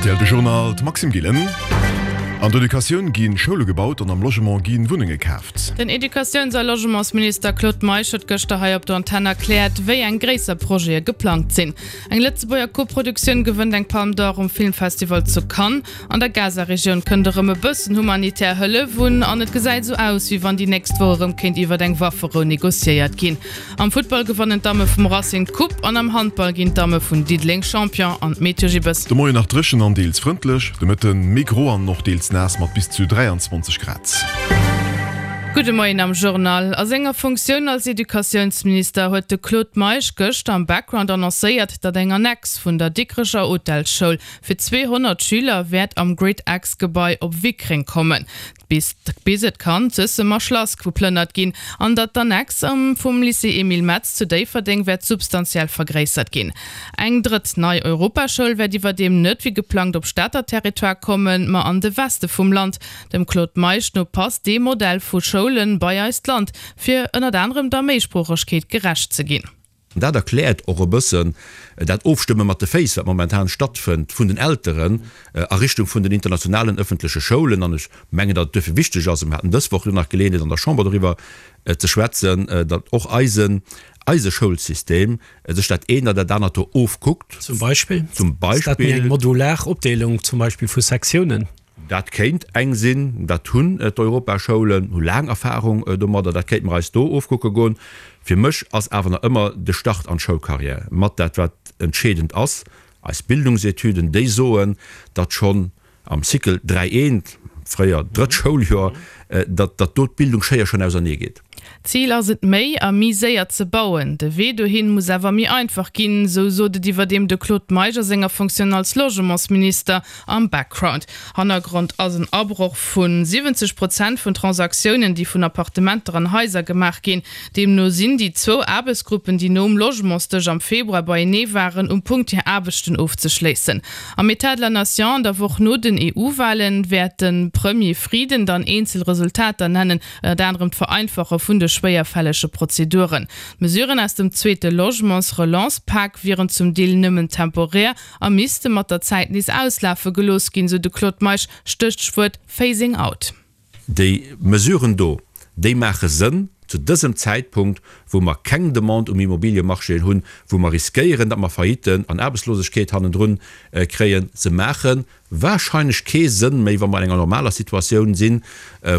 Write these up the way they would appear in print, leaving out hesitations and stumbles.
Rtl De Journal, d'Maxime Gillen. An der Educatioun gi Schoule gebaut an am Logement gi Wunnenge kaaft. Den Educatiouns a Logementsminister Claude Meisch huet gëschter hei op der Antenn erkläert, wéi eng gréisser Projete geplangt sinn. Eng Lëtzebuerger Koproduktioun gewënnt eng Palme d'Or um Filmfestival zu Cannes. An der Gaza-Regioun kënnt erëm e bëssen humanitär Hëllef un an et gesäit esou aus, wéi wann déi nächst Woch erëm kéint iwwert eng Wafferou negociéiert ginn. Am Futtball gewannen d'Damme vum Racing d'Coupe an am Handball ginn d'Damme vun Diddeleng Champion an d'Meteo Gibbes. De Moien nach dréchen an deels frëndlech, de Mëtte méi gro an och deels naass mat bis zu 23 Grad. Gudde Moien am Journal. A senger Funktioun als Educatiounsminister huet de Claude Meisch gëschter am Background annoncéiert, datt eng Annex vun der Dikrecher Hotelsschoul fir 200 Schüler wäert am GridX-Gebai op Wickreng kommen, bis bis et kann d'Suessemer Schlass geplënnert ginn an datt d'Annex vum Lycée Emile Metz zu Déifferdeng wäert substantiell vergréissert ginn. Eng drëtt nei Europaschoul wäert iwwerdeem net wéi geplangt op Stater Territoire kommen, ma an de Weste vum Land. Dem Claude Meisch no passt dee Modell vu Schoulen bei eist Land, fir ënnert anerem der Méisproochegkeet gerecht ze ginn. Dat erkläert och e bëssen dat Ofstëmme mat de Féiss, wat momentan stattfënnt vun den Elteren a Richtung vun den internationalen ëffentleche Schoulen. An ech mengen, datt et duerfir wichteg ass, a mir haten dës Woch jo nach Geleeënheet an der Chamber doriwwer ze schwätzen, datt och eisen, eise Schoulsystem sech dat eent an dat anert do ofkuckt. Zum Beispill? Zum Ass dat méi eng Beispill. modular Opdeelung zum Beispill vu Sektiounen? Dat kéint eng sinn, dat hunn d'Europaschoulen, hu laang Erfahrung domadder, dat kéinte mer eis do ofkucke goen. Fir mech ass awer nach ëmmer de Start an d'Schoulcarrière mat dat, wat entscheedend ass. Eis Bildungsetüden, déi soen, datt schonn am Cycle 3 eent, fréier drëtt Schouljoer, datt do d'Bildungsschéier schonn ausernee geet. Zil ass et méi a méi séier ze bauen. De Wee dohin muss awer méi einfach ginn, esou sot et iwwerdeem de Claude Meisch a senger Fonctioun als Logementsminister am Background. Hannergrond ass en Abroch vu 70 Prozent vun Transaktiounen, déi vun Appartementer an Haiser gemaach ginn. Deemno sinn déi zwou Aarbechtsgruppen, déi nom Logementsdësch am Februar beienee waren, um Punkt hir Aarbechten ofzeschléissen. Am Etat de la Nation an der Woch no den EU-Walen wäert de Premier Frieden dann eenzel Resultater nennen, Ënnert anerem d'Vereinfache vun de schwéierfällege Prozeduren. D'Mesuren aus dem zweete Logements-Relance-Pak wieren zum Deel nëmmen temporär a misste mat der Zäit nees auslafe gelooss ginn, sou de Claude Meisch, Stéchwuert Phasing out. Déi Mesuren do, déi maache Sënn zu dësem Zäitpunkt, wou mer keng Demande um Immobiliemarché hunn, wou mer riskéieren, datt mer Failliten an Aarbechtslosegkeet hannendrun kréien. Se maache Wahrscheinlech kee Sënn méi, wa mer an enger normaler Situatioun sinn,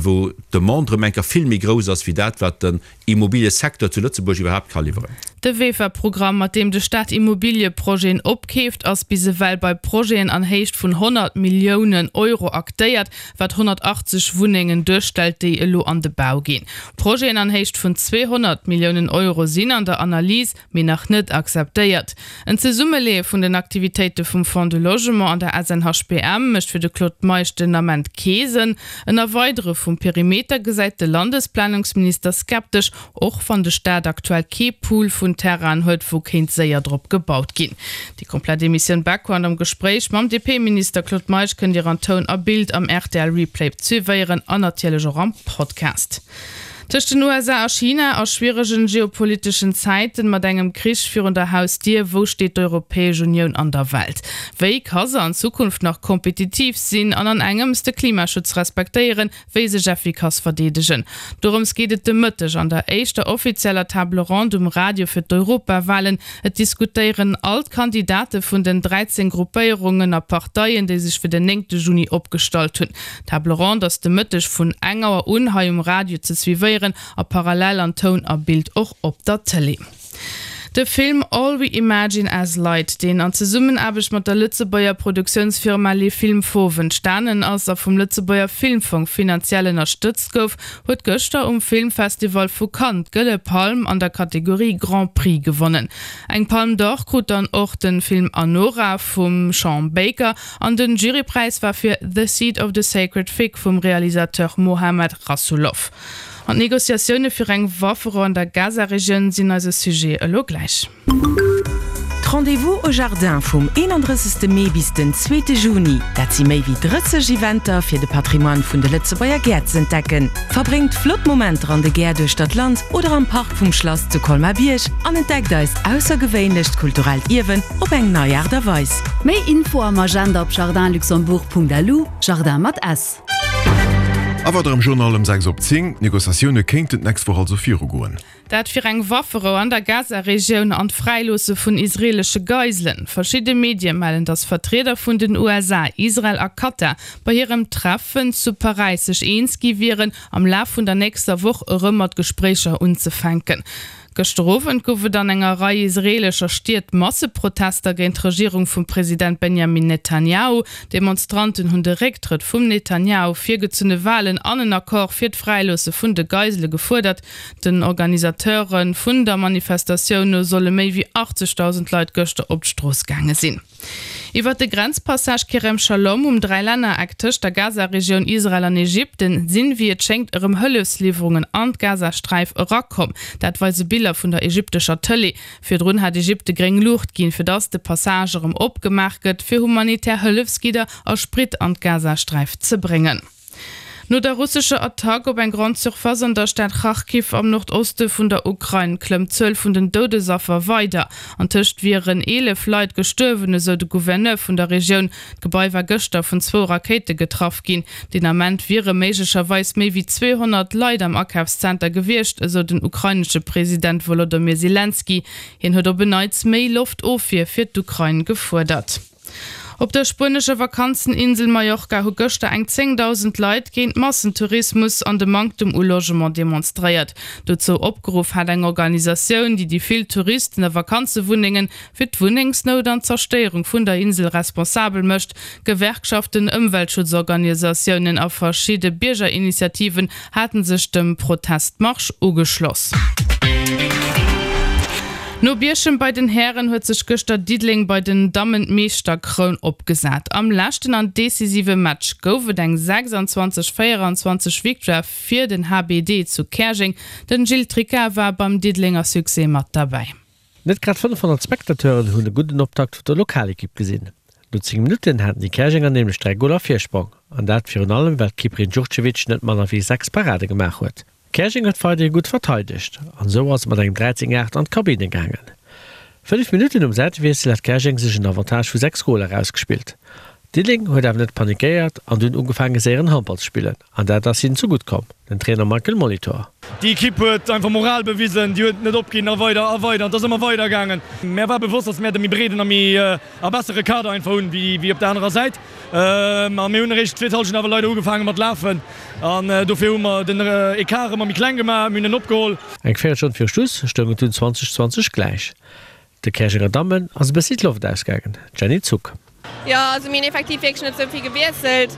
wou d'Demande erëm eng Kéier vill méi grouss ass wéi dat, wat den Immobiliësecteur zu Lëtzebuerg iwwerhaapt ka liwweren. De VEFA-Programm, mat deem de Staat Immobilieprojeten opkeeft, ass bis ewell bei Projeten an Héicht vun 100 Milliounen Euro aktéiert, wat 180 Wunnengen duerstellt, déi elo an de Bau ginn. Projeten an Héicht vun 200 Milliounen Euro sinn an der Analys, mee nach net akzeptéiert. En Zesummeleeë vun den Aktivitéite vum Fonds du Logement an der SNHBM mécht fir de Claude Meisch den Ament kee Sënn. En Erweidere vum Perimeter gesäit de Landesplanungsminister skeptesch, och wann de Staat aktuell kee Pool vun Terrainen huet, wou kéint séier drop gebaut ginn. Déi komplett Emissioun Background am Gespréich mam DP-Minister Claude Meisch kënnt Dir an Toun a Bild am rtl Replay suivéieren an natierlech och am Podcast. Tëscht den USA a China a schwieregen geopoliteschen Zäiten, mat engem Krich virun der Hausdier, wou steet d'Europäesch Unioun an der Welt? Wéi ka se an Zukunft nach kompetitiv sinn an an engems de Klimaschutz respektéieren, wéi sech effikass verdeedegen? Dorëms geet et de Mëtteg an der éischter offizieller Table ronde um Radio fir d'Europawalen. Et diskutéieren all d'Kandidate vun den 13 Gruppéierungen a Parteien, déi sech fir den néngte Juni opgestallt hunn. D'Table ronde ass de Mëtteg vun eng Auer un hei um Radio ze suivéieren a parallel an Toun a Bild och op der Tëlee. De Film All We Imagine As Light, deen an Zesummenaarbecht mat der Lëtzebuerger Produktiounsfirma Les Films Fauves entstanen ass a vum Lëtzebuerger Filmfong finanziell ënnerstëtzt gouf, huet gëschter um Filmfestival vu Cannes d'Gëlle Palm an der Kategorie Grand Prix gewonnen. Eng Palme d'Or krut dann och de Film Anora vum Sean Baker An den Jurypräis war fir The Seed of the Sacred Fig vum Realisateur Mohammad Rasoulof. An d'Negociatioune fir eng Wafferou an der Gaza-Regioun sinn eise Sujet elo gläich. Rendez-vous au Jardin vum 31. Mee bis den zweete Juni, dat si méi wéi 30 Eventer fir de Patrimoine vun de Lëtzebuerger Gäert z'entdecken. Verbréngt flott Momenter an de Gäert uechter d'Land oder am Park vum Schlass zu Colmar-Bierg an entdeckt eist aussergewéinlecht kulturellt Ierwen op eng nei Aart a Weis. Méi Info am Agenda op jardinluxembourg.lu, Jardin mat s. A weider am Journal ëm 6 op 10, D'Negociatioune kéinten d'nächst Woch also virugoen. Dat fir eng Wafferou an der Gaza-Regioun an d'Fräiloosse vun israeelesche Geiselen. Verschidde Medie mellen, datt Vertrieder vun den USA, Israel a Katar bei hirem Treffen zu Paräis sech eens gi wieren, am Laf vun der nächster Woch erëm mat Gespréicher unzefänken. Gëschter Owend gouf et an enger Rei israeelescher Stied Masseprotester géint d'Regierung vum President Benjamin Netanjahu. Demonstranten hunn de Récktrëtt vum Netanjahu, virgezunne Walen an en Accord fir d'Fräiloosse vun de Geisele gefuerdert. Den Organisateure vun der Manifestatioun no solle méi wéi 80.000 Leit gëschter op d'Strooss gaange sinn. Iwwer de Grenzpassage Kerem Shalom um Dräilännereck tëscht der Gaza-Regioun, Israel an Ägypten sinn, wéi et schéngt, erëm Hëllefsliwwerungen an d'Gazasträif erakomm. Dat weise Biller vun der ägyptescher Tëlee. Virdrun hat Ägypte gréng Luucht ginn, fir datt de Passage erëm opgemaach gëtt, fir humanitär Hëllefsgidder a Sprit an d'Gazasträif ze bréngen. No der russescher Attack op eng Grande Surface an der Stad Charkiw am Nordoste vun der Ukrain klëmmt d'Zuel vun den Doudesaffer weider. Antëscht wieren 11 Leit gestuerwen, esou de Gouverneur vun der Regioun. D'Gebai war gëschter vun zwou Rakéite getraff ginn. Deen Ament wiere méiglecherweis méi wéi 200 Leit am Akafszenter gewiescht, esou den ukrainesche President Wolodomyr Selenskyj. Hien huet op en Neits méi Loftofwier fir d'Ukrain gefuerdert. Op der spuenescher Vakanzeninsel Mallorca hu gëschter eng 10.000 Leit géint Massentourismus an de Manktem u Logement demonstréiert. Dozou opgeruff hat eng Organisatioun, déi déi vill Touristen a Vakanzewunnengen fir d'Wunnengsnout an d'Zerstéierung vun der Insel responsabel mécht. Gewerkschaften, Ëmweltschutzorganisatiounen a verschidde Biergerinitiativen haten sech dem Protestmarsch ugeschloss. No Bierchem bei den Hären huet sech gëschter Diddeleng bei den Dammen d'Meeschterkroun opgesat. Am leschten an decisive Match gouf et eng 26, 24 Victoire fir den HBD zu Käerjeng. Den Gilles Tricca war beim Diddelenger Succès mat derbäi. Net grad 500 Spectateuren hunn e gudden Optakt vun der Lokalekipp gesinn. No 10 Minutten haten déi Käerjenger nämlech 3 Goler Virsprong, an dat virun allem well d'Keeperin Djurcevic net manner wéi 6 Parade gemaach huet. Käerjeng huet weiderhi gutt verteidegt an esou ass et mat engem 13, 8 an d'Kabinne gaangen. 5 Minutten nom Säitewiessel hat Käerjeng sech en Avantage vu 6 Goler erausgespillt. Diddeleng huet awer net panikéiert an dunn ugefaange séieren Handball ze spillen an dat ass hinnen zegutt komm. Den Trainer Michael Molitor. Déi Ekipp huet einfach Moral bewisen, déi huet net opginn a weider a weider an et ass ëmmer weider gaangen. Mär war bewosst, datt mär de méi breeden a méi a bessere Kader einfach hunn wéi op der anerer Säit a mir hunn eréischt d'zweet Hallschent awer leider ugefaange mat lafen an dofir hu mer den Ecart ëmmer méi kleng gemaach, mir hunn en opgeholl. Eng Véierelstonn viru Schluss stoung et dunn 20, 20 gläich. De Käerjenger Dammen ass e bëssi d'Loft ausgaangen, Jenny Zuck. Jo, also mir hunn effektiv wierklech net esou vill gewiesselt.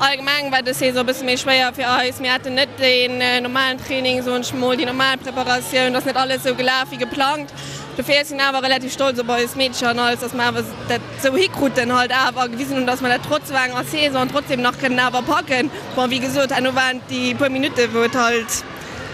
Allgemeng war dës Saison e bësse méi schwéier fir eis. Mir haten net deen normalen Training, soen ech mol, déi normal Preparatioun. Et ass net alles esou gelaf wéi geplangt. Dofir sinn awer relativ stolz op eis Meedercher an alles, dass mer awer dat esou hikruten halt awer a gewisen hunn, dass mer dat trotz esou enger Saison trotzdem nach kënnen awer packen. Bon, wéi gesot, herno waren et déi puer Minutten, wou et halt,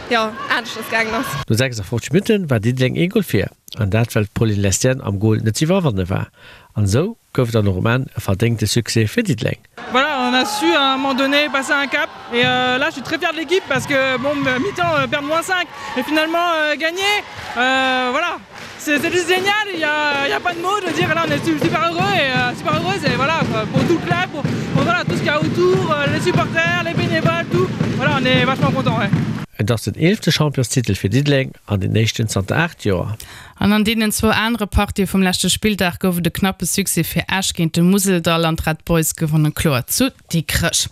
jo, aneschters gaangen ass. No 56 Minutten war Diddeleng ee Gol vir. An dat well d'Pauline Lestienne am Gol net ze iwwerwanne war. An esou gouf et dann och um Enn e verdéngte Succès fir Diddeleng. Voilà, on a su à un moment donné passer un cap et là je suis très fier de l'équipe parce que bon mi-temps perdre moins 5 et finalement gagner voilà c'est juste génial, il y a, il y a pas de mots, je veux dire là on est super heureux et super heureuse et voilà pour tout le club, pour, pour voilà tout ce qu'il y a autour, les supporters, les bénévoles, tout, voilà on est vachement content ouais. Et ass den eelefte Championstitel fir Diddeleng an deen éischten zanter 8 Joer. An an deenen zwou anere Partië vum leschte Spilldag gouf et e knappe Succès fir Esch géint de Museldall an d'Red Boys gewonne kloer zu Dikrech.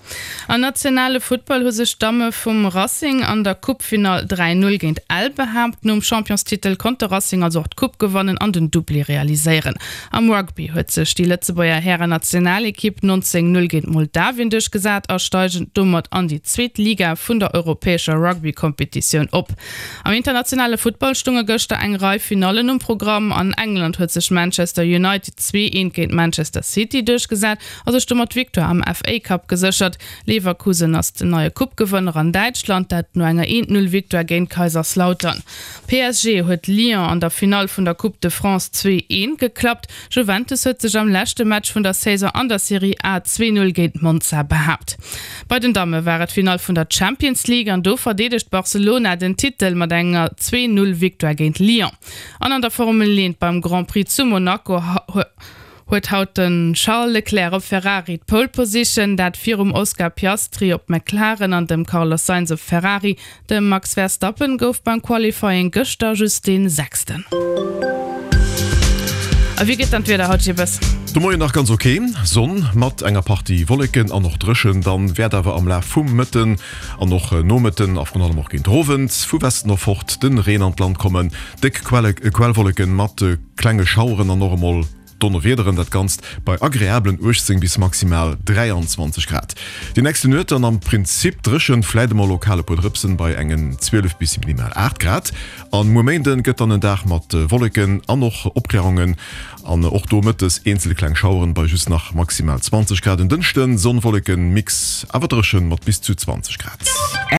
Am nationale Futtball hu sech d'Damme vum Racing an der Coupefinall 3, 0 géint Ell behaapt. Nom Championstitel konnt de Racing also och d'Coupe gewannen an den Doublé realiséieren. Am Rugby huet sech déi Lëtzebuerger Hären-Nationalekipp 19, 0 géint Moldawien duerchgesat a steigen domat an déi zweet Liga vun der europäescher Rugby. Rugby-Kompetitioun op. Am internationale Futtball stounge gëschter eng Rei Finallen um Programm. An England huet sech Manchester United 2, 1 géint Manchester City duerchgesat a sech domat d'Victoire am FA Cup geséchert. Leverkusen ass den neie Coupe-Gewënner an Däitschland, dat no enger 1, 0 Victoire géint Kaiserslautern. PSG huet Lyon an der Finall vun der Coupe de France 2, 1 geklappt. Juventus huet sech am leschte Match vun der Saison an der Serie A 2, 0 géint Monza behaapt. Bei den Damme war et d'Finall vun der Champions League an do verdeedegt Barcelona den Titel mat enger 2, 0 Victoire géint Lyon. An an der Formel 1 beim Grand Prix zu Monaco huet haut de Charles Leclerc op Ferrari d'Pole Position, dat virum Oscar Piastri op McLaren an dem Carlos Sainz op Ferrari. De Max Verstappen gouf beim Qualifying gëschter just dee Sechsten. A wéi geet dann d'Wieder haut, Jibbes? De Moien nach ganz ok, Sonn mat enger Partie Wolleken an och dréchen. Dann wäert awer am Laf vum Mëtten an och Nomëtten a vrun allem och géint Owend vu Westen of fort de Reen an d'Land kommen. Déck Quellwolleken mat klenge Schaueren an och emol Donnerwiederen, dat Ganzt bei agreablen 18 bis maximal 23 Grad. Déi nächste Nuet dann am Prinzip dréchen, fläit emol lokal e puer Drëpsen bei engen 12 bis minimal 8 Grad. An muer Méinden gëtt dann en Dag mat Wolleken an och Opklärungen an och do mëttes eenzel kleng Schaueren bei just nach maximal 20 Grad. En Dënschden Sonn-Wolleken-Mix, awer dréchen mat bis zu 20 Grad.